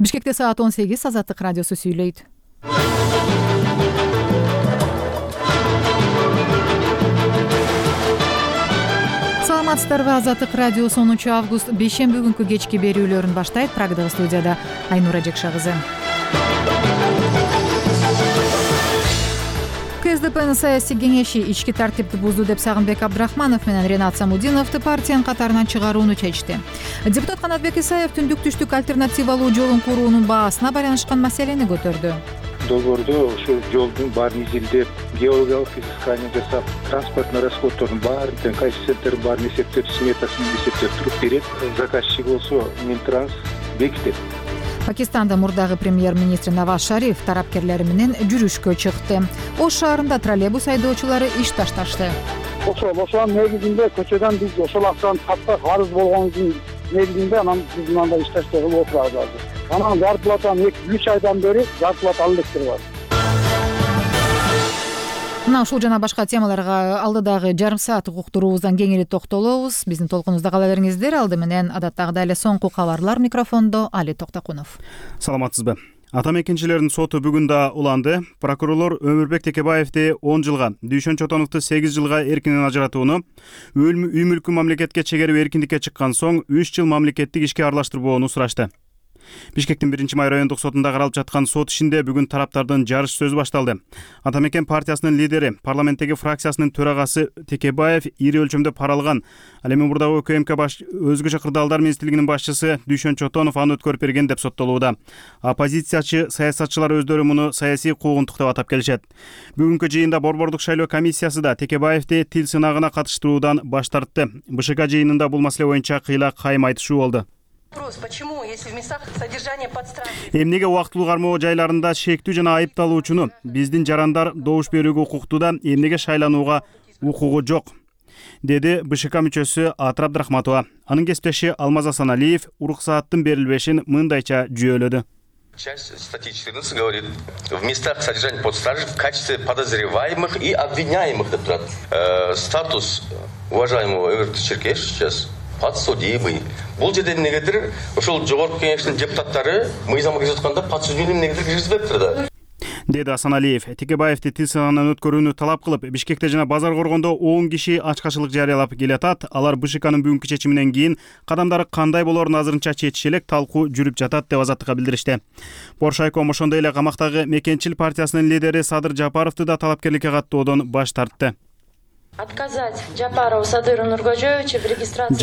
Бишкекте саат 18 Азаттык радиосу сүйлөйт. Саламатсыздарбы? Азаттык радиосу 10 август бейшемби күнкү кечки берүүлөрүн баштайт. Прагдагы студияда Айнура Жекша кызы. КСДПнын саясий кеңеши ички тартипти бузду деп Сагынбек Абдрахманов менен Ренат Самудиновду партиянын катарынан чыгарууну чечти. Депутат Канатбек Исаев түндүк-түштүк альтернативалуу жолун куруунун баасына байланышкан маселени көтөрдү. Долбоордо ошол жолдун баарын изилдеп, геологиялык изыскание жасап, транспортный расходтордун баарын, коэффициенттерин баарын эсептеп, сметасын эсептеп туруп берет. Заказчик болсо Минтранс бекитет. Пакистанда мурдагы премьер-министр Наваз Шариф тарапкерлери менен жүрүшкө чыкты. Ош шаарында троллейбус айдоочулары иш ташташты. Ошонун негизинде көчөдөн биз ошол акчаны тапсак арыз болгондун негизинде анан биз мындай иш таштап отурабыз азыр. Анан зарплатаны 2-3 айдан бери зарплата ала электир бар. Мына ушул жана башка темаларга алдыдагы жарым саат уктуруубуздан кеңири токтолобуз. Биздин толкунубузда кала бериңиздер. Алды менен адаттагыдай эле соңку кабарлар. Микрофондо Али Токтокунов. Саламатсызбы? Ата мекенчилердин соту бүгүн да уланды. Прокурорлор Өмүрбек Текебаевди 10 жылга, Дүйшөн Чотоновду 8 жылга эркинен ажыратууну, үй мүлкүн мамлекетке чегерип эркиндикке чыккан соң 3 жыл мамлекеттик ишке аралаштырбоону сурашты. Бишкектин 1-май райондук сотунда каралып жаткан сот ишинде бүгүн тараптардын жарыш сөзү башталды. Ата мекен партиясынын лидери, парламенттеги фракциясынын төрагасы Текебаев ири өлчөмдө пара алган. Ал эми мурдагы УКМК өзгөчө кырдаалдар министрлигинин башчысы Дүйшөн Чотонов аны өткөрүп берген деп соттолууда. Оппозициячы саясатчылар өздөрү муну саясий куугунтук деп атап келишет. Бүгүнкү жыйында Борбордук шайлоо комиссиясы да Текебаевди тил сынагына катыштыруудан баш тартты. БШК жыйынында бул маселе боюнча кыйла кайым айтышуу болду. Почему, если в местах содержания под стражей? Эмнеге убактылуу кармоо жайларында шектүү жана айыпталуучуну биздин жарандар добуш берүүгө укуктуу да эмнеге шайланууга укугу жок, деди БШК мүчөсү Атыр Абдрахматова. Анын кесиптеши Алмаз Асаналиев уруксааттын берилбешин мындайча жүйөлөдү. Часть статьи 14 говорит, в местах содержания под стражей в качестве подозреваемых и обвиняемых. Статус уважаемого Эверта Черкеш сейчас подсудимый. Бул жерде негедир ошол жогорку кеңештин депутаттары мыйзамга киргизип атканда подсудимый негедир киргизбептир да. Деди Асаналиев. Текебаевди тил сынагынан өткөрүүнү талап кылып, Бишкекте жана Базар Коргондо 10 киши ачкачылык жарыялап келатат. Алар БШКнын бүгүнкү чечиминен кийин кадамдары кандай болорун азырынча чечиши элек талкуу жүрүп жатат деп Азаттыкка билдиришти. Боршайком ошондой эле камактагы Мекенчил партиясынын лидери Садыр Жапаровду да талапкерликке каттоодон баш тартты. Отказать Жапаров Садыру Нургожоевичу в регистрации.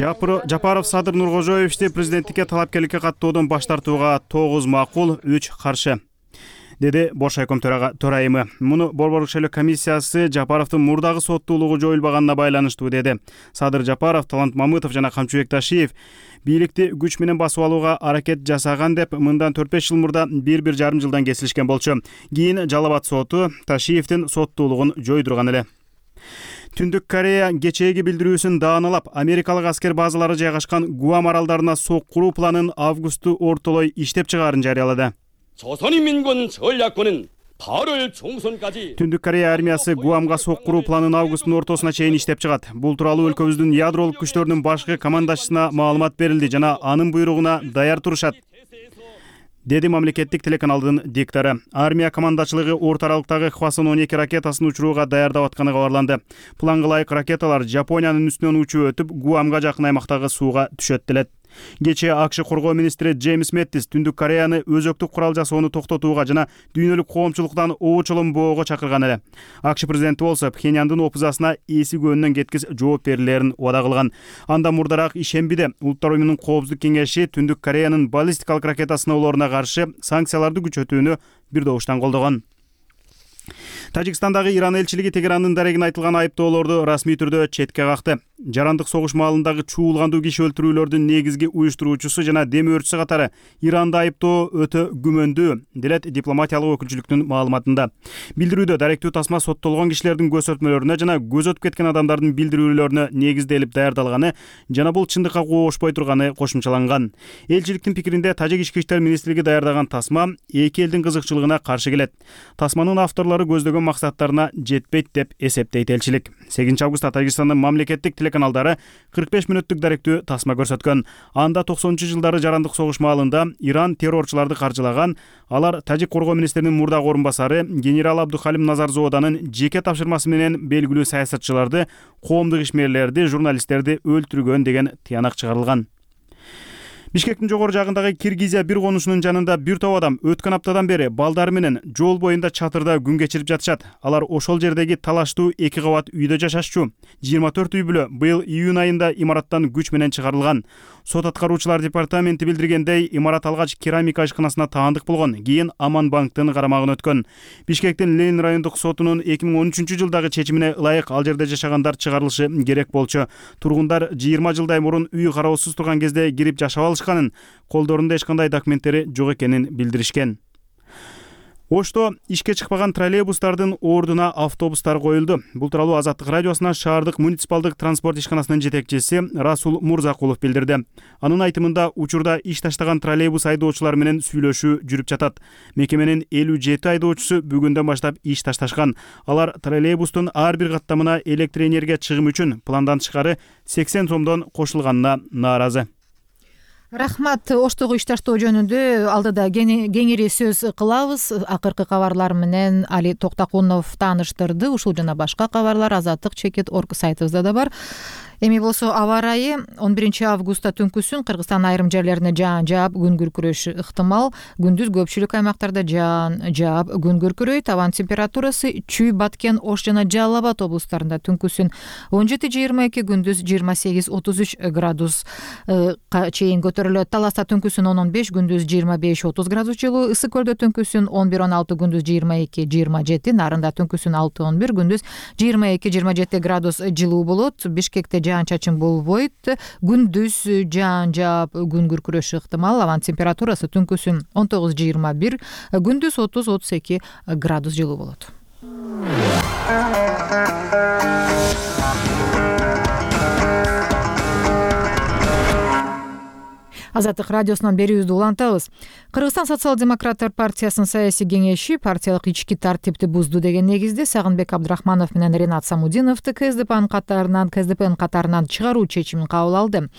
Жапаров Садыр Нургожоевичти президенттикке талапкерликке каттоодон баш тартууга 9 макул, 3 каршы, деди Боршайком төрайымы. Муну Борбордук шайлоо комиссиясы Жапаровдун мурдагы соттуулугу жоюлбаганына байланыштуу, деди. Садыр Жапаров, Талант Мамытов жана Камчыбек Ташиев бийликти күч менен басып алууга аракет жасаган деп мындан 4-5 жыл мурда 1,5 жылдан кесилишкен болчу. Кийин Жалал Абад соту Ташиевдин соттуулугун жойдурган эле. Түндүк Корея кечээги билдирүүсүн даанылап, америкалык аскер базалары жайгашкан Гуам аралдарына соккуруу планын августту ортолой иштеп чыгаарын жарыялады. Түндүк Корея армиясы Гуамга соккуруу планын августтун ортосуна чейин иштеп чыгат. Бул тууралуу өлкөбүздүн ядролук күчтөрүнүн башкы командачысына маалымат берилди жана анын буйругуна даяр турушат, деди мамлекеттик телеканалдын диктору. Армия командачылыгы орто аралыктагы Хвасон 12 ракетасын учурууга даярдап атканы кабарланды. Планга ылайык ракеталар Жапониянын үстүнөн учуп өтүп, Гуамга жакын аймактагы сууга түшөт делет. Кечээ АКШ коргоо министри Джеймс Мэттис Түндүк Кореяны өзөктүк курал жасоону токтотууга жана дүйнөлүк коомчулуктан оочолонбоого чакырган эле. АКШ президенти болсо Пхеньяндын опузасына эси көөнүнөн кеткис жооп берилерин убада кылган. Анда мурдараак ишембиде Улуттар уюмунун коопсуздук кеңеши Түндүк Кореянын баллистикалык ракета сыноолоруна каршы санкцияларды күчөтүүнү бир добуштан колдогон. Тажикстандагы Иран элчилиги Тегерандын дарегине айтылган айыптоолорду расмий түрдө четке какты. Жарандык согуш маалындагы чуулгандуу киши өлтүрүүлөрдүн негизги уюштуруучусу жана дем өрчүсү катары Иранда айыптоо өтө күмөндүү, делет дипломатиялык өкүлчүлүктүн маалыматында. Билдирүүдө даректүү тасма соттолгон кишилердин көрсөтмөлөрүнө жана көз өтүп кеткен адамдардын билдирүүлөрүнө негизделип даярдалганы жана бул чындыкка коошпой турганы кошумчаланган. Элчиликтин пикиринде Тажик ички иштер министрлиги даярдаган тасма эки элдин кызыкчылыгына каршы келет. Тасманын авторлору чаралары көздөгөн максаттарына жетпейт деп эсептейт элчилик. 8 августта Тажикстандын мамлекеттик телеканалдары 45 мүнөттүк даректүү тасма көрсөткөн. Анда 90-жылдары жарандык согуш маалында Иран террорчуларды каржылаган, алар Тажик коргоо министринин мурдагы орун басары генерал Абдухалим Назарзоданын жеке тапшырмасы менен белгилүү саясатчыларды, коомдук ишмерлерди, журналисттерди өлтүргөн деген тыянак чыгарылган. Бишкектин жогору жагындагы Киргизия бир конушунун жанында бир топ адам өткөн аптадан бери балдары менен жол боюнда чатырда күн кечирип жатышат. Алар ошол жердеги талаштуу 2 кабат үйдө жашашчу. 24 үй бүлө быйыл июнь айында имараттан күч менен чыгарылган. Сот аткаруучулар департаменти билдиргендей, имарат алгач керамика ишканасына таандык болгон, кийин Аман банктын карамагына өткөн. Бишкектин Ленин райондук сотунун 2013-жылдагы чечимине ылайык ал жерде жашагандар чыгарылышы керек болчу. Тургундар 20 жылдай мурун үй кароосуз турган кезде кирип жашап алышканын, колдорунда эч кандай документтери жок экенин билдиришкен. Ошто ишке чыкпаган троллейбустардын ордуна автобустар коюлду. Бул тууралуу Азаттык радиосуна шаардык муниципалдык транспорт ишканасынын жетекчиси Расул Мурзакулов билдирди. Анын айтымында учурда иш таштаган троллейбус айдоочулар менен сүйлөшүү жүрүп жатат. Мекеменин 57 айдоочусу бүгүндөн баштап иш ташташкан. Алар троллейбустун ар бир каттамына электр энергия чыгымы үчүн пландан тышкары 80 сомдон кошулганына нааразы. Рахмат. Оштогу иш таштоо жөнүндө алдыда кеңири сөз кылабыз. Акыркы кабарлар менен Али Токтакунов тааныштырды. Ушул жана башка кабарлар Азаттык.org сайтыбызда да бар. Эми болсо аба ырайы 11 августта түнкүсүн Кыргызстан айрым жерлерине жаан жаап, күн күркүрөшү ыктымал. Күндүз көпчүлүк аймактарда жаан жаап, күн күркүрөйт. Табан температурасы Чүй, Баткен, Ош жана Жалал Абад облустарында түнкүсүн 17-22, күндүз 28-33 градус чейин көтөрүлөт. Таласта түнкүсүн 10-15, күндүз 25-30 градус жылуу. Ысык көлдө түнкүсүн 11-16, күндүз 22-27, Нарында түнкүсүн 6-11, күндүз 22-27 градус жылуу болот. Бишкекте жаан-чачын болбойт. Күндүз жаан жаап, күн күркүрөшү ыктымал. Абан температурасы түнкүсүн 19-21, күндүз 30-32 градус жылуу болот. Азаттык радиосунан берүүбүздү улантабыз. Кыргызстан социал-демократтар партиясынын саясий кеңеши партиялык ички тартипти бузду деген негизде Сагынбек Абдрахманов менен Ринат Самудиновду КСДПнын катарынан чыгаруу чечимин кабыл алды.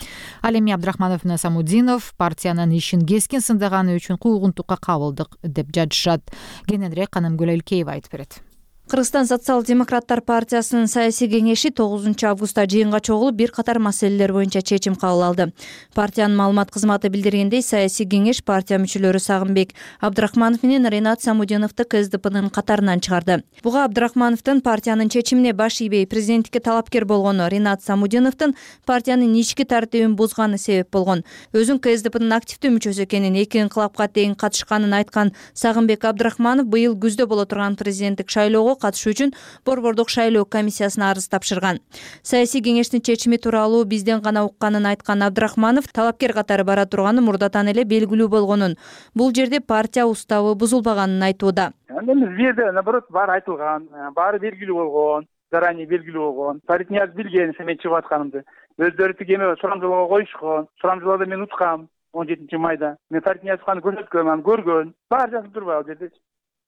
Ал эми Абдрахманов менен Самудинов партиянын ишин кескин сындаганы үчүн куугунтукка кабылдык деп жатышат. Кененирээк Канымгүл Элкеева айтып берет. Кыргызстан социал-демократтар партиясынын саясий кеңеши 9 августта жыйынга чогулуп бир катар маселелер боюнча чечим кабыл алды. Партиянын маалымат кызматы билдиргендей, саясий кеңеш партия мүчөлөрү Сагынбек Абдрахманов менен Ринат Самудиновду КСДПнын катарынан чыгарды. Буга Абдрахмановдун партиянын чечимине баш ийбей президенттикке талапкер болгону, Ринат Самудиновдун партиянын ички тартибин бузганы себеп болгон. Өзүн КСДПнын активдүү мүчөсү экенин, 2 инкылапка тең катышканын айткан Сагынбек Абдрахманов быйыл күздө боло турган президенттик шайлоого катышуу үчүн Борбордук шайлоо комиссиясына арыз тапшырган. Саясий кеңештин чечими тууралуу бизден гана укканын айткан Абдрахманов талапкер катары бара турганы мурдатан эле белгилүү болгонун, бул жерде партия уставы бузулбаганын айтууда. Эми бул жерде наоборот баары айтылган, баары белгилүү болгон, заранее белгилүү болгон. Таритнияз билген мен чыгып атканымды. Өздөрү тиги эме сурамжылоого коюшкон. Сурамжылоодо мен уткам 17 майда. Мен Таритниязовду көрсөткөм, аны көргөн. Баары жазылып турбайбы ал жерде.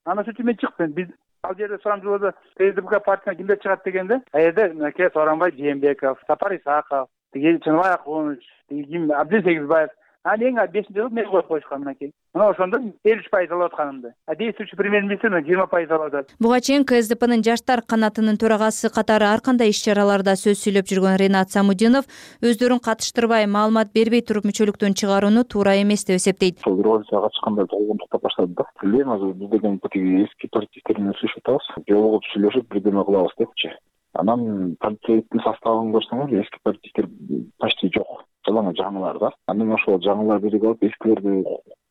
Анан ошон үчүн мен чыктым. Биз ал жерде сурамжылоодо КСДП партиясына кимдер чыгат дегенде, аерде мынакей Сооронбай Жээнбеков, Сапар Исаков, тиги Чыныбай Акунович, тиги ким Абдил Сегизбаев. Эң 5-жылы мени коюп коюшкан мынакей. Мына ошондо 53% алып атканымды. Действующий премьер-министр 20% алып атат. Буга чейин КСДПнын жаштар канатынын төрагасы катары ар кандай иш-чараларда сөз сүйлөп жүргөн Ринат Самудинов өздөрүн катыштырбай, маалымат бербей туруп мүчөлүктөн чыгарууну туура эмес деп эсептейт. Сол революцияга чыкканда толгунтуктап баштады да. Билем, азыр биз деген тиги эски партиялар менен сүйлөшүп атабыз. Жолугуп сүйлөшүп бирдеме кылабыз депчи. Анан партиянын составын көрсөңөр, эски партиялар почти жок. Жалаң жаңылар да. Анан ошол жаңылар бириге алып эскилерди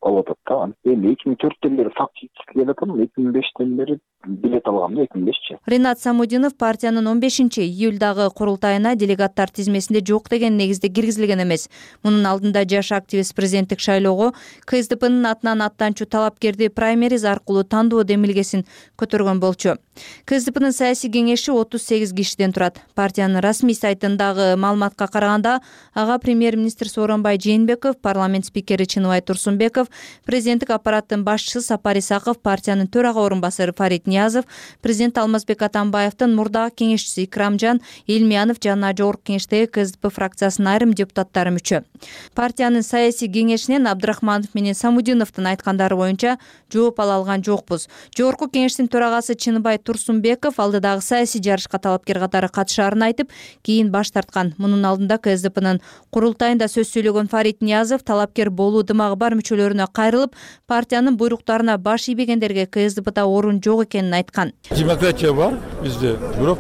алып атат да. Эми 2004-төн бери фактически келатам, 2005-тен бери билет алгам да, 2005-чи. Ринат Самудинов партиянын 15-июлдагы курултайына делегаттар тизмесинде жок деген негизде киргизилген эмес. Мунун алдында жаш активист президенттик шайлоого КСДПнын атынан аттанчу талапкерди праймериз аркылуу тандоо демилгесин көтөргөн болчу. КСДПнын саясий кеңеши 38 кишиден турат. Партиянын расмий сайтындагы маалыматка караганда, ага премьер-министр Сооронбай Жээнбеков, парламент спикери Чыныбай Турсунбеков, президенттик аппараттын башчысы Сапар Исаков, партиянын төрага орун басары Фарид Ниязов, президент Алмазбек Атамбаевдин мурдагы кеңешчиси Икрамжан Элмиянов жана жогорку кеңештеги КСДП фракциясынын айрым депутаттары мүчө. Партиянын саясий кеңешинен Абдрахманов менен Самудиновдун айткандары боюнча жооп ала алган жокпуз. Жогорку кеңештин төрагасы Чыныбай Турсунбеков алдыдагы саясий жарышка талапкер катары катышаарын айтып, кийин баш тарткан. Мунун алдында КСДПнын курултайында сөз сүйлөгөн Фарид Ниязов талапкер болуу дымагы бар мүчөлөрүнө кайрылып, партиянын буйруктарына баш ийбегендерге КСДПда орун жок экенин айткан. Демократия бар бизде, бирок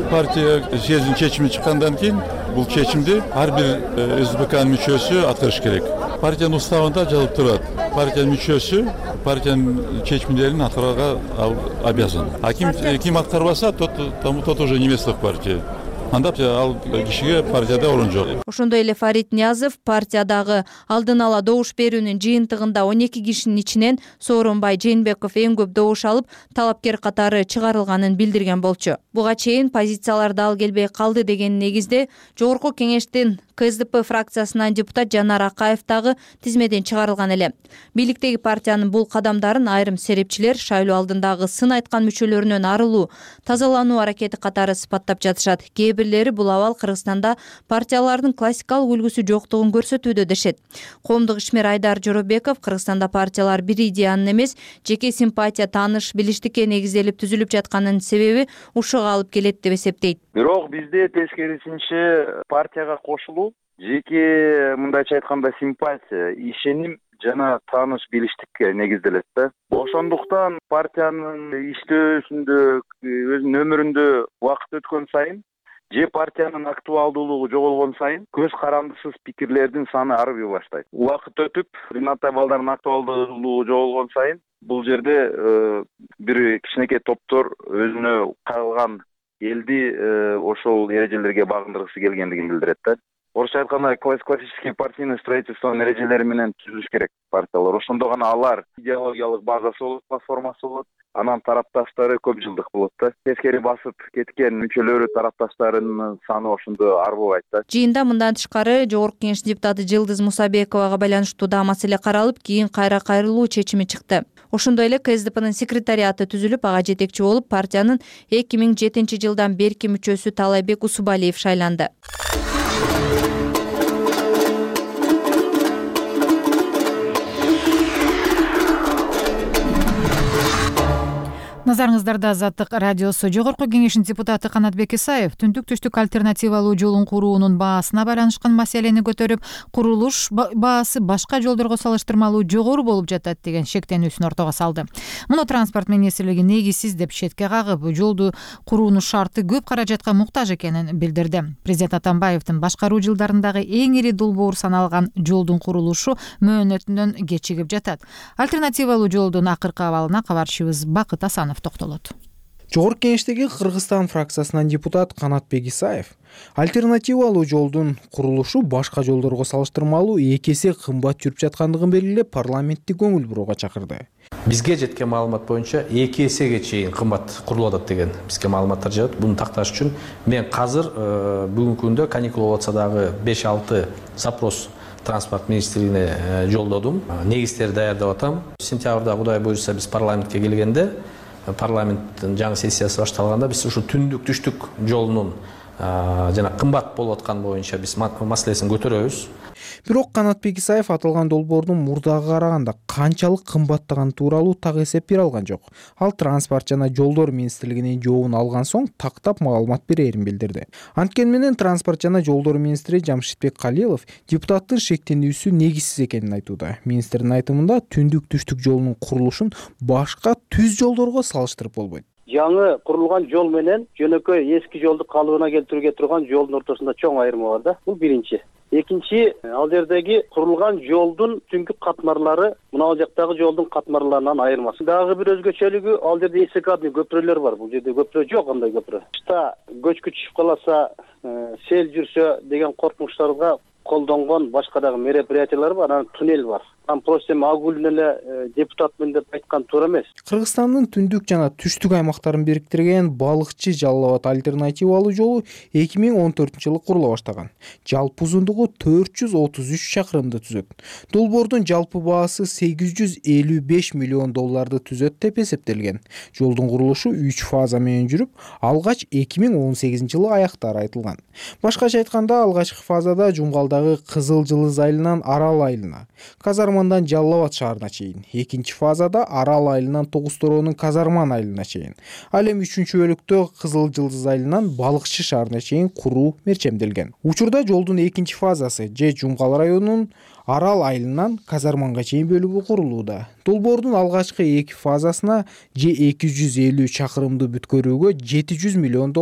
партия съездин чечими чыккандан кийин бул чечимди ар бир СДПКнын мүчөсү аткарыш керек. Партиянын уставында жазылып турат. Партиянын мүчөсү партиянын чечимдерин аткарууга обязан. А ким аткарбаса, тот уже не место в партии. Анда ал кишиге партияда орун жок. Ошондой эле Фарид Ниязов партиядагы алдын ала добуш берүүнүн жыйынтыгында 12 кишинин ичинен Сооронбай Жээнбеков эң көп добуш алып, талапкер катары чыгарылганын билдирген болчу. Буга чейин позициялар дал келбей калды деген негизде жогорку кеңештин КСДП фракциясынан депутат Жанар Акаев дагы тизмеден чыгарылган эле. Бийликтеги партиянын бул кадамдарын айрым серепчилер шайлоо алдындагы сын айткан мүчөлөрүнөн арылуу, тазалануу аракети катары сыпаттап жатышат. Кээбирлери бул абал Кыргызстанда партиялардын классикалык үлгүсү жоктугун көрсөтүүдө дешет. Коомдук ишмер Айдар Жоробеков Кыргызстанда партиялар бир идеянын эмес, жеке симпатия, тааныш, билиштикке негизделип түзүлүп жатканын себеби ушуга алып келет деп эсептейт. Бирок бизде тескерисинче партияга кошулуу жеке мындайча айтканда симпатия, ишеним жана тааныш билиштикке негизделет да. Ошондуктан партиянын иштөөсүндө, өзүнүн өмүрүндө убакыт өткөн сайын же партиянын актуалдуулугу жоголгон сайын көз карандысыз пикирлердин саны арыбай баштайт. Убакыт өтүп, Ринат Айбалдардын актуалдуулугу жоголгон сайын бул жерде бир кичинекей топтор өзүнө кагылган элди ошол эрежелерге багындыргысы келгендигин билдирет да. Орусча айтканда классический партийный строительствонун эрежелери менен түзүлүш керек партиялар. Ошондо гана алар идеологиялык базасы болот, платформасы болот, анан тарапташтары көп жылдык болот да. Тескери басып кеткен мүчөлөрү, тарапташтарынын саны ошондо арбабайт да. Жыйында мындан тышкары жогорку кеңеш депутаты Жылдыз Мусабековага байланыштуу да маселе каралып, кийин кайра кайрылуу чечими чыкты. Ошондой эле КСДПнын секретариаты түзүлүп, ага жетекчи болуп партиянын 2007-жылдан берки мүчөсү Талайбек Усубалиев шайланды. Назарыңыздарда Азаттык радиосу. Жогорку кеңештин депутаты Канатбек Исаев түндүк-түштүк альтернативалуу жолун куруунун баасына байланышкан маселени көтөрүп, курулуш баасы башка жолдорго салыштырмалуу жогору болуп жатат деген шектенүүсүн ортого салды. Муну транспорт министрлиги негизсиз деп четке кагып, жолду куруунун шарты көп каражатка муктаж экенин билдирди. Президент Атамбаевдин башкаруу жылдарындагы эң ири долбоор саналган жолдун курулушу мөөнөтүнөн кечигип жатат. Альтернативалуу жолдун акыркы абалына кабарчыбыз Бакыт Асанов токтолот. Жогорку кеңештеги Кыргызстан фракциясынан депутат Канатбек Исаев альтернативалуу жолдун курулушу башка жолдорго салыштырмалуу 2 эсе кымбат жүрүп жаткандыгын белгилеп, парламентти көңүл бурууга чакырды. Бизге жеткен маалымат боюнча 2 эсеге чейин кымбат курулуп атат деген бизге маалыматтар жатат. Буну такташ үчүн мен азыр бүгүнкү күндө каникул болуп атса дагы 5-6 запрос транспорт министрлигине жолдодум. Негиздерди даярдап атам. Сентябрда Кудай буйрса биз парламентке келгенде, парламенттин жаңы сессиясы башталганда биз ушу түндүк-түштүк жолунун жана кымбат болуп аткан боюнча биз маселесин көтөрөбүз. Бирок Канатбек Исаев аталган долбоордун мурдага караганда канчалык кымбаттаганы тууралуу так эсеп бере алган жок. Ал транспорт жана жолдор министрлигинин жообун алган соң тактап маалымат берерин билдирди. Анткени менен транспорт жана жолдор министри Жамшитбек Калилов депутаттын шектенүүсү негизсиз экенин айтууда. Министрдин айтымында түндүк-түштүк жолунун курулушун башка түз жолдорго салыштырып болбойт. Жаңы курулган жол менен жөнөкөй эски жолду калыбына келтирүүгө турган жолдун ортосунда чоң айырма бар да. Бул биринчи. Экинчи, ал жердеги курулган жолдун түнкү катмарлары мына жактагы жолдун катмарларынан айырмасы. Дагы бир өзгөчөлүгү, ал жерде эстакадный көпүрөлөр бар. Бул жерде көпүрө жок, андай көпүрө. Кышта көчкү түшүп калса, сел жүрсө деген коркунучтарга колдонгон башка дагы мероприятиялар бар, анан туннель бар. Анан просто эми огульно эле депутатмын деп айткан туура эмес. Кыргызстандын түндүк жана түштүк аймактарын бириктирген балыкчы Жалал Абад альтернативалуу жолу 2014-жылы курула баштаган. Жалпы узундугу 433 чакырымды түзөт. Долбоордун жалпы баасы $855 миллион түзөт деп эсептелген. Жолдун курулушу 3 фаза менен жүрүп, алгач 2018-жылы аяктары айтылган. Башкача айтканда, алгачкы фазада Жумгалдагы Кызыл Жылыз айылынан Арал айылына, Казармандан Жалал Абад шаарына чейин, экинчи фазада Арал айылынан Тогуз-Тороонун Казарман айылына чейин, ал эми үчүнчү бөлүктө Кызыл Жылыз айылынан Балыкчы шаарына чейин куруу мерчемделген. Учурда жолдун экинчи фазасы же Жумгал районунун Арал айылынан Казарманга чейин бөлүгү курулууда. Долбоордун алгачкы 2 фазасына же 250 чакырымды бүткөрүүгө $700 миллион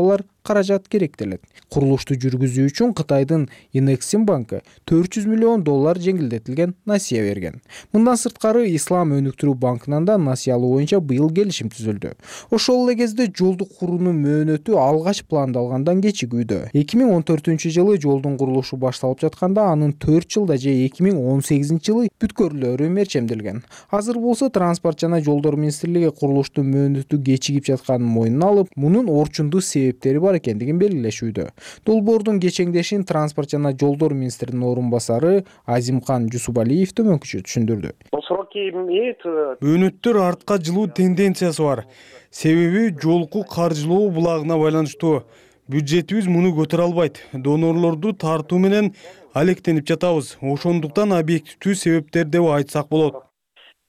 каражат керектелет. Курулушту жүргүзүү үчүн Кытайдын Инексимбанкы $400 миллион жеңилдетилген насыя берген. Мындан сырткары Ислам өнүктүрүү банкынан да насыя алуу боюнча быйыл келишим түзүлдү. Ошол эле кезде жолду куруунун мөөнөтү алгач пландалгандан кечигүүдө. 2014-жылы жолдун курулушу башталып жатканда анын 4 жылда же 2018-жылы бүткөрүлөрү мерчемделген. Азыр болсо транспорт жана жолдор министрлиги курулуштун мөөнөтү кечигип жатканын мойнуна алып, мунун орчундуу себептери бар экендигин белгилешүүдө. Долбоордун кечеңдешин транспорт жана жолдор министринин орун басары Азимкан Жусупалиев төмөнкүчө түшүндүрдү. Мөөнөттөр артка жылуу тенденциясы бар. Себеби жолку каржылоо булагына байланыштуу. Бюджетибиз муну көтөрө албайт. Донорлорду тартуу менен алектенип жатабыз. Ошондуктан объективдүү себептер деп айтсак болот.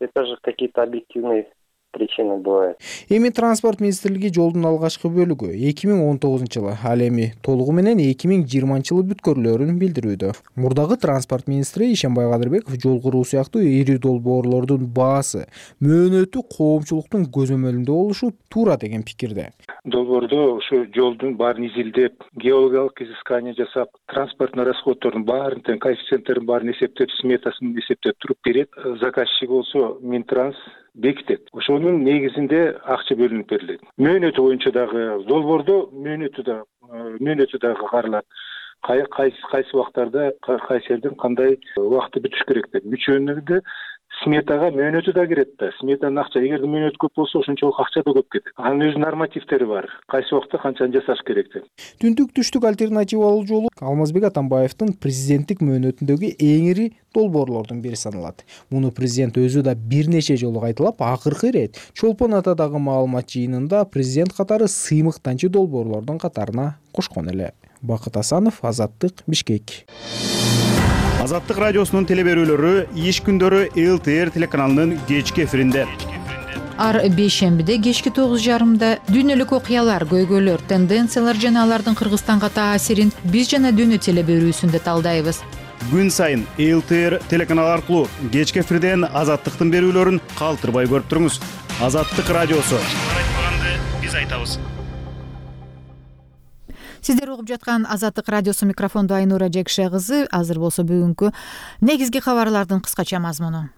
Это же какие-то объективные причины бывают. Эми транспорт министрлиги жолдун алгачкы бөлүгү 2019-жылы, ал эми толугу менен 2020-жылы бүткөрүлөрүн билдирүүдө. Мурдагы транспорт министри Ишенбай Кадырбеков жол куруу сыяктуу ири долбоорлордун баасы, мөөнөтү коомчулуктун көзөмөлүндө болушу туура деген пикирде. Долбоордо ушу жолдун баарын изилдеп, геологиялык изыскание жасап, транспортный расходтордун баарын, коэффициенттерин баарын эсептеп, сметасын эсептеп туруп берет. Заказчик болсо Минтранс бекитет. Ошонун негизинде акча бөлүнүп берилет. Мөөнөтү боюнча дагы долбоордо мөөнөтү дагы каралат. Кайсы убактарда кайсы жерден кандай убакытта бүтүш керек деп. Үчөөнүндө сметага мөөнөтү да кирет да. Сметанын акча, эгерде мөөнөт көп болсо, ошончолук акча да көп кетет. Анын өз нормативдери бар. Кайсы убакта канчаны жасаш керек деп. Түндүк түштүк альтернативалуу жолу Алмазбек Атамбаевдин президенттик мөөнөтүндөгү эң ири долбоорлордун бири саналат. Муну президент өзү да бир нече жолу кайталап, акыркы ирет Чолпон Атадагы маалымат жыйынында президент катары сыймыктанчы долбоорлордун катарына кошкон эле. Бакыт Асанов, Азаттык, Бишкек. Азаттык радиосунун телеберүүлөрү иш күндөрү ЛТР телеканалынын кечки эфиринде. Ар бейшембиде кечки 9:30 дүйнөлүк окуялар, көйгөйлөр, тенденциялар жана алардын Кыргызстанга таасирин биз жана дүйнө телеберүүсүндө талдайбыз. Күн сайын ЛТР телеканалы аркылуу кечки эфирден Азаттыктын берүүлөрүн калтырбай көрүп туруңуз. Азаттык радиосу. Айтпаганды биз айтабыз. Сиздер угуп жаткан Азаттык радиосу, микрофондо Айнура Жекше кызы. Азыр болсо бүгүнкү негизги кабарлардын кыскача мазмуну.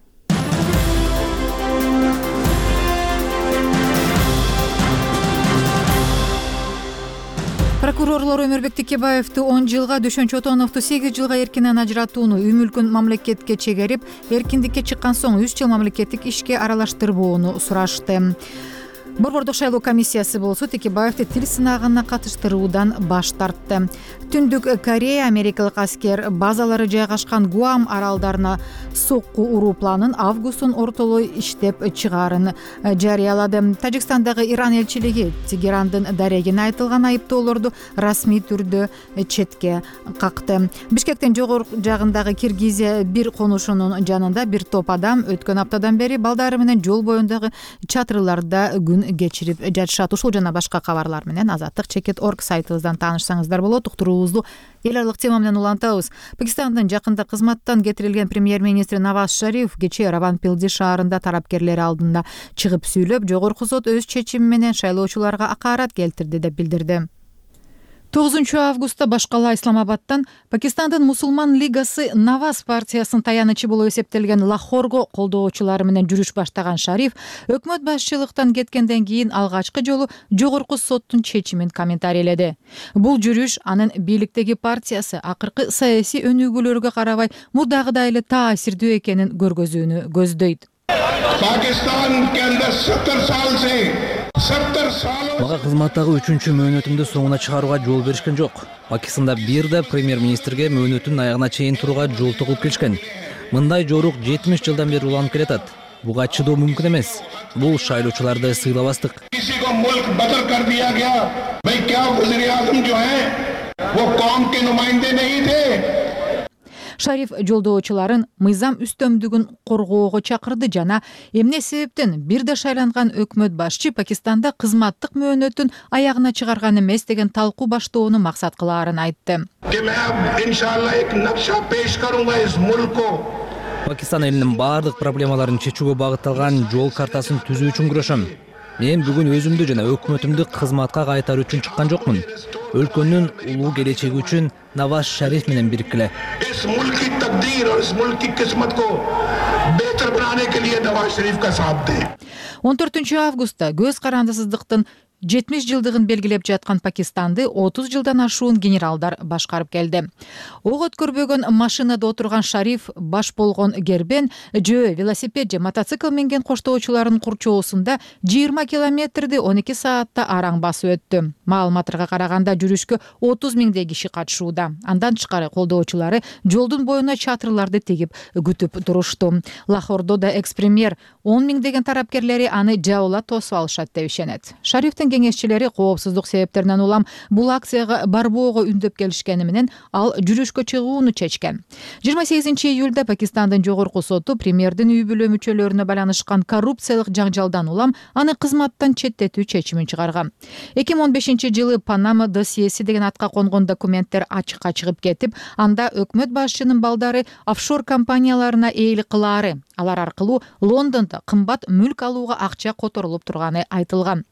Прокурорлор Өмүрбек Текебаевди 10 жылга, Дөшөн Чотоновду 8 жылга эркинен ажыратууну, үй мүлкүн мамлекетке чегерип, эркиндикке чыккан соң 3 жыл мамлекеттик ишке аралаштырбоону сурашты. Борбордук шайлоо комиссиясы болсо Текебаевди тил сынагына катыштыруудан баш тартты. Түндүк Корея америкалык аскер базалары жайгашкан Гуам аралдарына сокку уруу планын августтун ортолой иштеп чыгаарын жарыялады. Тажикстандагы Иран элчилиги Тегерандын дарегине айтылган айыптоолорду расмий түрдө четке какты. Бишкектин жогорку жагындагы Киргизия бир конушунун жанында бир топ адам өткөн аптадан бери балдары менен жол боюндагы чатырларда күн кечирип жатышат. Ушул жана башка кабарлар менен Азаттык.org сайтыбыздан таанышсаңыздар болот. Уктуруубузду эл аралык тема менен улантабыз. Пакистандын жакында кызматтан кетирилген премьер-министри Наваз Шариф кечээ Раванпилди шаарында тарапкерлери алдында чыгып сүйлөп, жогорку сот өз чечими менен шайлоочуларга акаарат келтирди деп билдирди. 9 августта баш кала Исламабадтан Пакистандын Мусулман лигасы Наваз партиясынын таянычы болуп эсептелген Лахорго колдоочулары менен жүрүш баштаган Шариф өкмөт башчылыктан кеткенден кийин алгачкы жолу жогорку соттун чечимин комментарийледи. Бул жүрүш анын бийликтеги партиясы акыркы саясий өнүгүүлөргө карабай мурдагыдай эле таасирдүү экенин көргөзүүнү көздөйт. Мага кызматтагы 3-мөөнөтүмдү соңуна чыгарууга жол беришкен жок. Пакистанда бир да премьер-министрге мөөнөтүн аягына чейин турууга жолтоо кылып келишкен. Мындай жорук 70 жылдан бери уланып келатат. Буга чыдоо мүмкүн эмес. Бул шайлоочуларды сыйлабастык. Шариф жолдоочуларын мыйзам үстөмдүгүн коргоого чакырды жана эмне себептен бир да шайланган өкмөт башчы Пакистанда кызматтык мөөнөтүн аягына чыгарган эмес деген талкуу баштоону максат кылаарын айтты. Пакистан элинин баардык проблемаларын чечүүгө багытталган жол картасын түзүү үчүн күрөшөм. Мен бүгүн өзүмдү жана өкмөтүмдү кызматка кайтаруу үчүн чыккан жокмун. Өлкөнүн улуу келечеги үчүн Наваз Шариф менен бириккиле. 14 августта көз карандысыздыктын 70 жылдыгын белгилеп жаткан Пакистанды 30 жылдан ашуун генералдар башкарып келди. Ок өткөрбөгөн машинада отурган Шариф баш болгон гербен жөө велосипед же мотоцикл менген коштоочулардын курчоосунда 20 километрди 12 саатта араң басып өттү. Маалыматтарга караганда жүрүшкө 30 миңдей киши катышууда. Андан тышкары колдоочулары жолдун боюна чатырларды тегип күтүп турушту. Лахордо да экс-премьер 10 миңдеген тарапкерлери аны жабыла тосуп алышат деп ишенет. Шарифтин кеңешчилери коопсуздук себептеринен улам бул акцияга барбоого үндөп келишкени менен ал жүрүшкө чыгууну чечкен. 28 июлда Пакистандын жогорку соту премьердин үй бүлө мүчөлөрүнө байланышкан коррупциялык жаңжалдан улам аны кызматтан четтетүү чечимин чыгарган. 2015 жылы Панама досьеси деген атка конгон документтер ачыкка чыгып кетип, анда өкмөт башчынын балдары офшор компанияларына ээлик кылаары, алар аркылуу Лондондо кымбат мүлк алууга акча которулуп турганы айтылган.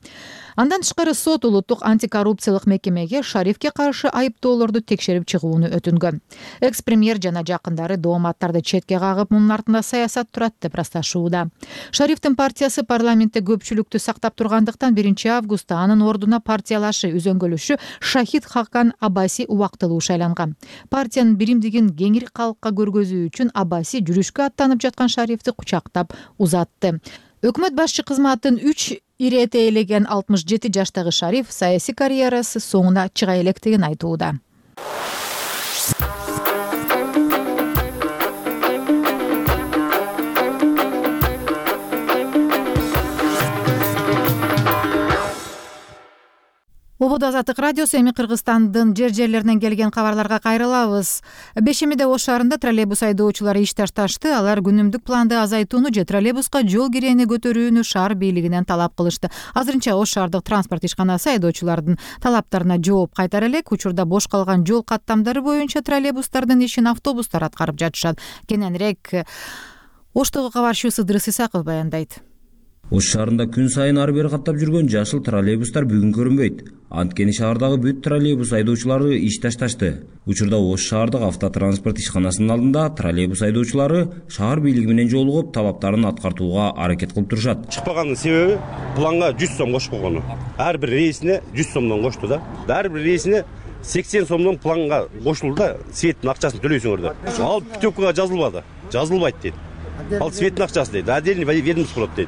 Андан тышкары сот улуттук антикоррупциялык мекемеге Шарифке каршы айыптоолорду текшерип чыгууну өтүнгөн. Экс-премьер жана жакындары дооматтарды четке кагып, мунун артында саясат турат деп ырасташууда. Шарифтин партиясы парламентте көпчүлүктү сактап тургандыктан 1 августта анын ордуна партиялашы үзөңгөлүшү Шахид Хакан Абаси убактылуу шайланган. Партиянын биримдигин кеңири калкка көргөзүү үчүн Абаси жүрүшкө аттанып жаткан Шарифти кучактап узатты. Өкмөт башчы кызматын 3 ирет ээлеген 67 жаштагы Шариф саясий карьерасы соңуна чыга электигин айтууда. Ободо Азаттык радиосу эми Кыргызстандын жерлеринен келген кабарларга кайрылабыз. Бешемиде Ош шаарында троллейбус айдоочулары иш ташташты. Алар күнүмдүк планды азайтууну же троллейбуска жол киреени көтөрүүнү шаар бийлигинен талап кылышты. Азырынча Ош шаардык транспорт ишканасы айдоочулардын талаптарына жооп кайтара элек. Учурда бош калган жол каттамдары боюнча троллейбустардын ишин автобустар аткарып жатышат. Кененирээк Оштогу кабарчысы Дырыс Исаков баяндайт. Ош шаарында күн сайын ар бери каттап жүргөн жашыл троллейбустар бүгүн көрүнбөйт. Анткени шаардагы бүт троллейбус айдоочулары иш ташташты. Учурда Ош шаардык автотранспорт ишканасынын алдында троллейбус айдоочулары шаар бийлиги менен жолугуп, талаптарын аткартууга аракет кылып турушат. Чыкпаганын себеби планга 100 сом кошуп койгону. Ар бир рейсине 100 сомдон кошту да. Ар бир рейсине 80 сомдон планга кошулду да, светтин акчасын төлөйсүңөр деп. Ал путевкага жазылбады. Жазылбайт дейт. Ал светтин акчасы дейт. Отдельный ведомство дейт.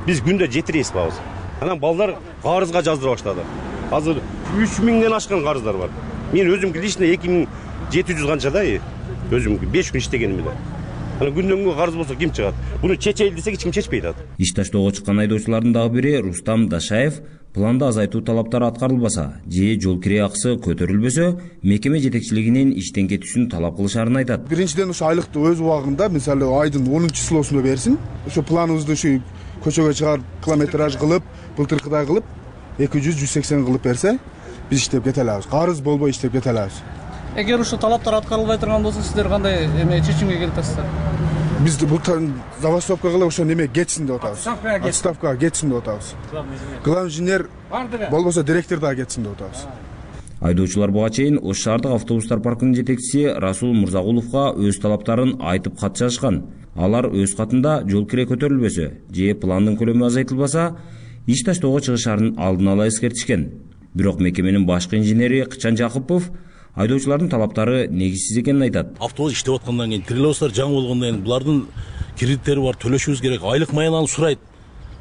Биз күндө 7 рейс барабыз. Анан балдар карызга жаздыра баштады. Азыр 3000ден ашкан карыздар бар. Мен өзүм лично 2700 канча да, өзүм 5 күн иштегеним эле. Анан күндөн күнгө карыз болсо ким чыгат? Буну чечейли десек эч ким чечпей атат. Иш таштоого чыккан айдоочулардын дагы бири Рустам Дашаев планды азайтуу талаптары аткарылбаса же жол кире акысы көтөрүлбөсө, мекеме жетекчилигинин иштен кетүүсүн талап кылышарын айтат. Биринчиден ошо айлыкты өз убагында, мисалы айдын 10-числосунда берсин. Ошо планыбызды ушу көчөгө чыгарып, километраж кылып, былтыркыдай кылып, 200-180 кылып берсе, биз иштеп кете алабыз. Карыз болбой иштеп кете алабыз. Эгер ушул талаптар аткарылбай турган болсо, сиздер кандай чечимге келип атасыздар? Биз былтыр забастовка кылып, ошо неме кетсин деп атабыз. Отставкага кетсин деп атабыз. Главный инженер болбосо директор да кетсин деп атабыз. Айдоочулар буга чейин Ош шаардык автобустар паркынын жетекчиси Расул Мурзагуловго өз талаптарын айтып кат жазышкан. Алар өз катында жол кире көтөрүлбөсө же пландын көлөмү азайтылбаса, иш таштоого чыгышарын алдын ала эскертишкен. Бирок мекеменин башкы инженери Кычан Жакупов айдоочулардын талаптары негизсиз экенин айтат. Автобус иштеп аткандан кийин, троллейбустар жаңы болгондон кийин булардын кредиттери бар, төлөшүбүз керек. Айлык маянаны сурайт.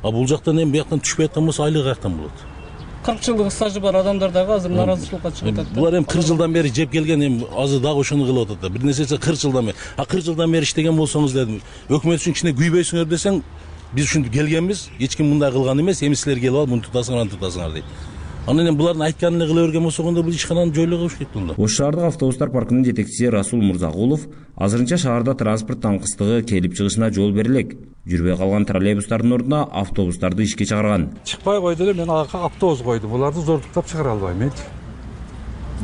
А бул жактан эми бияктан түшпөй аткан болсо айлык каяктан болот? 40 жылдык стажы бар адамдар дагы азыр наразычылыкка чыгып атат. Булар эми 40 жылдан бери жеп келген, эми азыр дагы ошону кылып атат да. Бир нерсе 40 жылдан бери. 40 жылдан бери иштеген болсоңуз дедим, өкмөт үчүн кичине күйбөйсүңөр десең, биз ушинтип келгенбиз, эч ким мындай кылган эмес, эми силер келип алып муну тутасыңар дейт. Анан эми булардын айтканын эле кыла берген болсо бул ишкананы жойлой коюш керек болду. Ош шаардык автобустар паркынын жетекчиси Расул Мурзагулов азырынча шаарда транспорт таңкыстыгы келип чыгышына жол берилек. Жүрбөй калган троллейбустардын ордуна автобустарды ишке чыгарган. Чыкпай койду эле, мен ага автобус койдум. Буларды зордуктап чыгара албайм мен.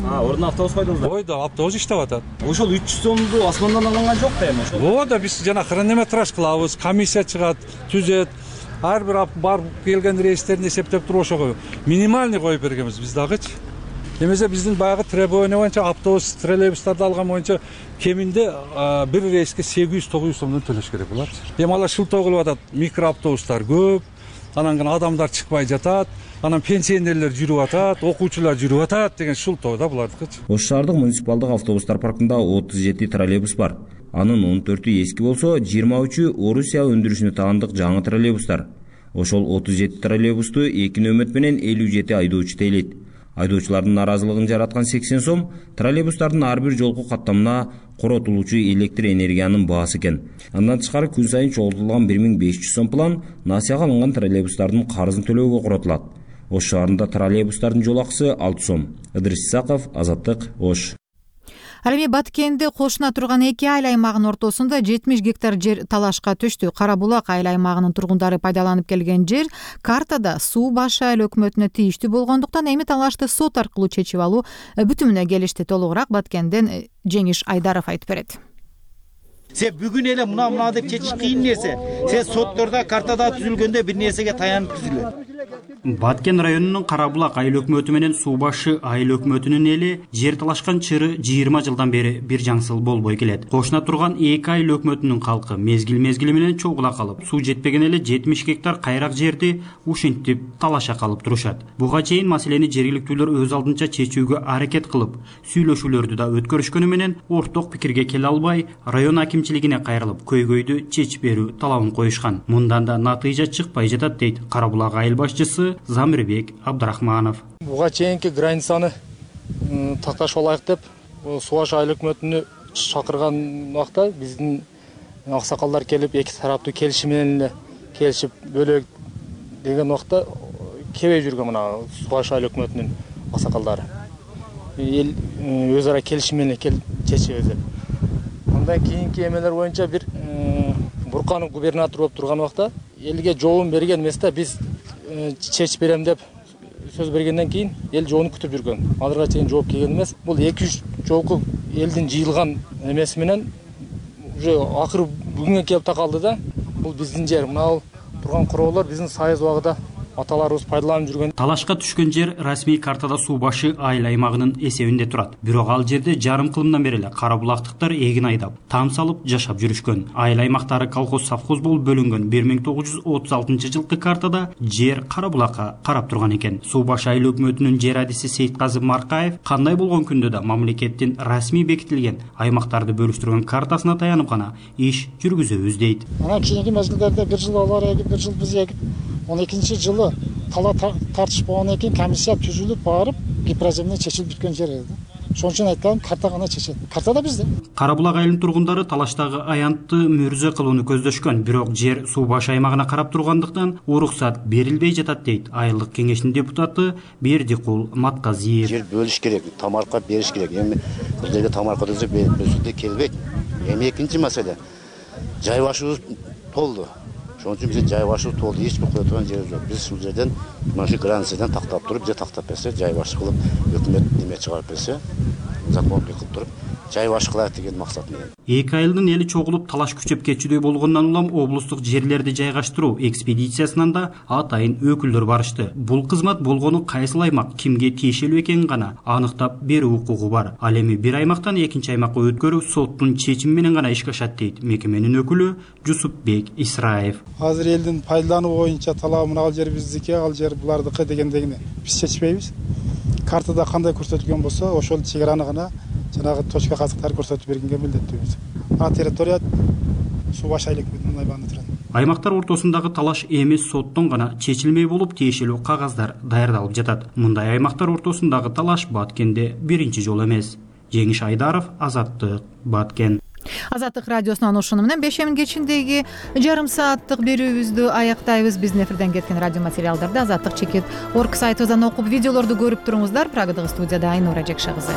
Ордуна автобус койдуңуздар? Койду, автобус иштеп атат. Ошол 300 сомду асмандан алынган жок да эми ошол. Ооба, биз жана хронометраж кылабыз, комиссия чыгат, түзөт. Ар бир барып келген рейстерин эсептеп туруп ошого минимальный коюп бергенбиз биз дагычы. Эмесе биздин баягы требование боюнча автобус, троллейбустарды алган боюнча кеминде бир рейске 800-900 сомдон төлөш керек болот. Эми алар шылтоо кылып атат, микроавтобустар көп, анан гана адамдар чыкпай жатат, анан пенсионерлер жүрүп атат, окуучулар жүрүп атат деген шылтоо да булардыкычы. Ош шаардык муниципалдык автобустар паркында 37 троллейбус бар. Анын 14-ü эски болсо, 23-ü Орусия өндүрүшүнө таандык жаңы троллейбустар. Ошол 37 троллейбусту 2 нөмөт менен 57 айдоочу тейлейт. Айдоочулардын наразылыгын жараткан 80 сом троллейбустардын ар бир жолку каттамына коротулуучу электр энергиянын баасы экен. Андан тышкары күн сайын чогултулган 1500 сом план насыяга алынган троллейбустардын карызын төлөөгө коротулат. Ош шаарында троллейбустардын жол акысы 6 сом. Ыдырыс Исаков, Азаттык, Ош. Ал эми Баткенде кошуна турган 2 айыл аймагынын ортосунда 70 гектар жер талашка түштү. Кара Булак айыл аймагынын тургундары пайдаланып келген жер картада Суу Башы айыл өкмөтүнө тийиштүү болгондуктан эми талашты сот аркылуу чечип алуу бүтүмүнө келишти. Толугураак Баткенден Жеңиш Айдаров айтып берет. Се бүгүн эле мына деп чечиш кыйын нерсе. Се соттордо картада түзүлгөндө бир нерсеге таянып түзүлөт. Баткен районунун Кара Булак айыл өкмөтү менен Суу Башы айыл өкмөтүнүн эли жер талашкан чыры 20 жылдан бери бир жаңсыл болбой келет. Кошуна турган 2 айыл өкмөтүнүн калкы мезгил менен чогула калып, суу жетпеген эле 70 гектар кайрак жерди ушинтип талаша калып турушат. Буга чейин маселени жергиликтүүлөр өз алдынча чечүүгө аракет кылып, сүйлөшүүлөрдү да өткөрүшкөнү менен орток пикирге келе албай, район акимчилигине кайрылып, көйгөйдү чечип берүү талабын коюшкан. Мындан да натыйжа чыкпай жатат дейт Кара Булак айыл башчысы Замирбек Абдрахманов. Буга чейинки границаны такташ алайык деп Суу Башы айыл өкмөтүнү чакырган убакта биздин аксакалдар келип эки тараптуу келишим менен эле келишип бөлөк деген убакта кебей жүргөн мына Суу Башы айыл өкмөтүнүн аксакалдары. Эл өз ара келишим менен чечебиз деп. Андан кийинки эмелер боюнча бир Бурканов губернатор болуп турган убакта элге жообун берген эмес да, биз чечип берем деп сөз бергенден кийин эл жоону күтүп жүргөн. Азырга чейин жооп келген эмес. Бул 2-3 жолку элдин жыйылган эмеси менен уже акыры бүгүнгө келип такалды да. Бул биздин жер. Мына турган короолор биздин сайыз убагында аталарыбыз пайдаланып жүргөн. Талашка түшкөн жер расмий картада Суу Башы айыл аймагынын эсебинде турат. Бирок ал жерде жарым кылымдан бери эле Кара Булактыктар эгин айдап, там салып жашап жүрүшкөн. Айыл аймактары колхоз-совхоз болуп бөлүнгөн 1936-жылкы картада жер Кара Булакка карап турган экен. Суу Башы айыл өкмөтүнүн жер адиси Сейитказы Маркаев кандай болгон күндө да мамлекеттин расмий бекитилген аймактарды бөлүштүргөн картасына таянып гана иш жүргүзөбүз дейт. Анан кийинки мезгилдерде бир жыл алар эгип, бир жыл биз эгип, 12-жылы тала тартыш болгондон кийин комиссия түзүлүп барып гипроземден чечилип бүткөн жер эди. Ошон үчүн айткам, карта гана чечет. Картада бизде. Кара Булак айылынын тургундары талаштагы аянтты мөрзө кылууну көздөшкөн, бирок жер Суу Башы аймагына карап тургандыктан уруксат берилбей жатат дейт айылдык кеңештин депутаты Бердикул Матказиев. Жер бөлүш керек, тамарка бериш керек. Эми бул жерге тамарка бөлүшүп келбейт. Эми экинчи маселе жайбашуу толду. Ошон үчүн бизде жайбашуу толду, эч бир кое турган жер жок. Биз ушул жерден мына шу границадан тактап туруп, же тактап берсе, жайбашуу кылып өкмөт неме чыгарып берсе, закондуу кылып туруп жай башкы кылайык деген максат менен. Эки айылдын эли чогулуп талаш күчөп кетчүдөй болгондон улам облустук жерлерди жайгаштыруу экспедициясынан да атайын өкүлдөр барышты. Бул кызмат болгону кайсыл аймак кимге тиешелүү экенин гана аныктап берүү укугу бар. Ал эми бир аймактан экинчи аймакка өткөрүү соттун чечими менен гана ишке ашат дейт мекеменин өкүлү Жусупбек Исраев. Азыр элдин пайдалануу боюнча талабы ал жер биздики, ал жер булардыкы дегендегини биз чечпейбиз. Картада кандай көрсөтүлгөн болсо, ошол чек араны гана жанагы точка казыктар көрсөтүп бергенге милдеттүүбүз. А территория суу баш айыл өкмөтүнүн аймагында турат. Аймактар ортосундагы талаш эмес соттон гана чечилмей болуп, тиешелүү кагаздар даярдалып жатат. Мындай аймактар ортосундагы талаш Баткенде биринчи жолу эмес. Жеңиш Айдаров, Азаттык, Баткен. Азаттык радиосунан ушуну менен 5 кечиндеги жарым сааттык берүүбүздү аяктайбыз. Биздин эфирден кеткен радио материалдарды Азаттык.org сайтыбыздан окуп, видеолорду көрүп туруңуздар. Прагадагы студияда Айнура Жекшагызы.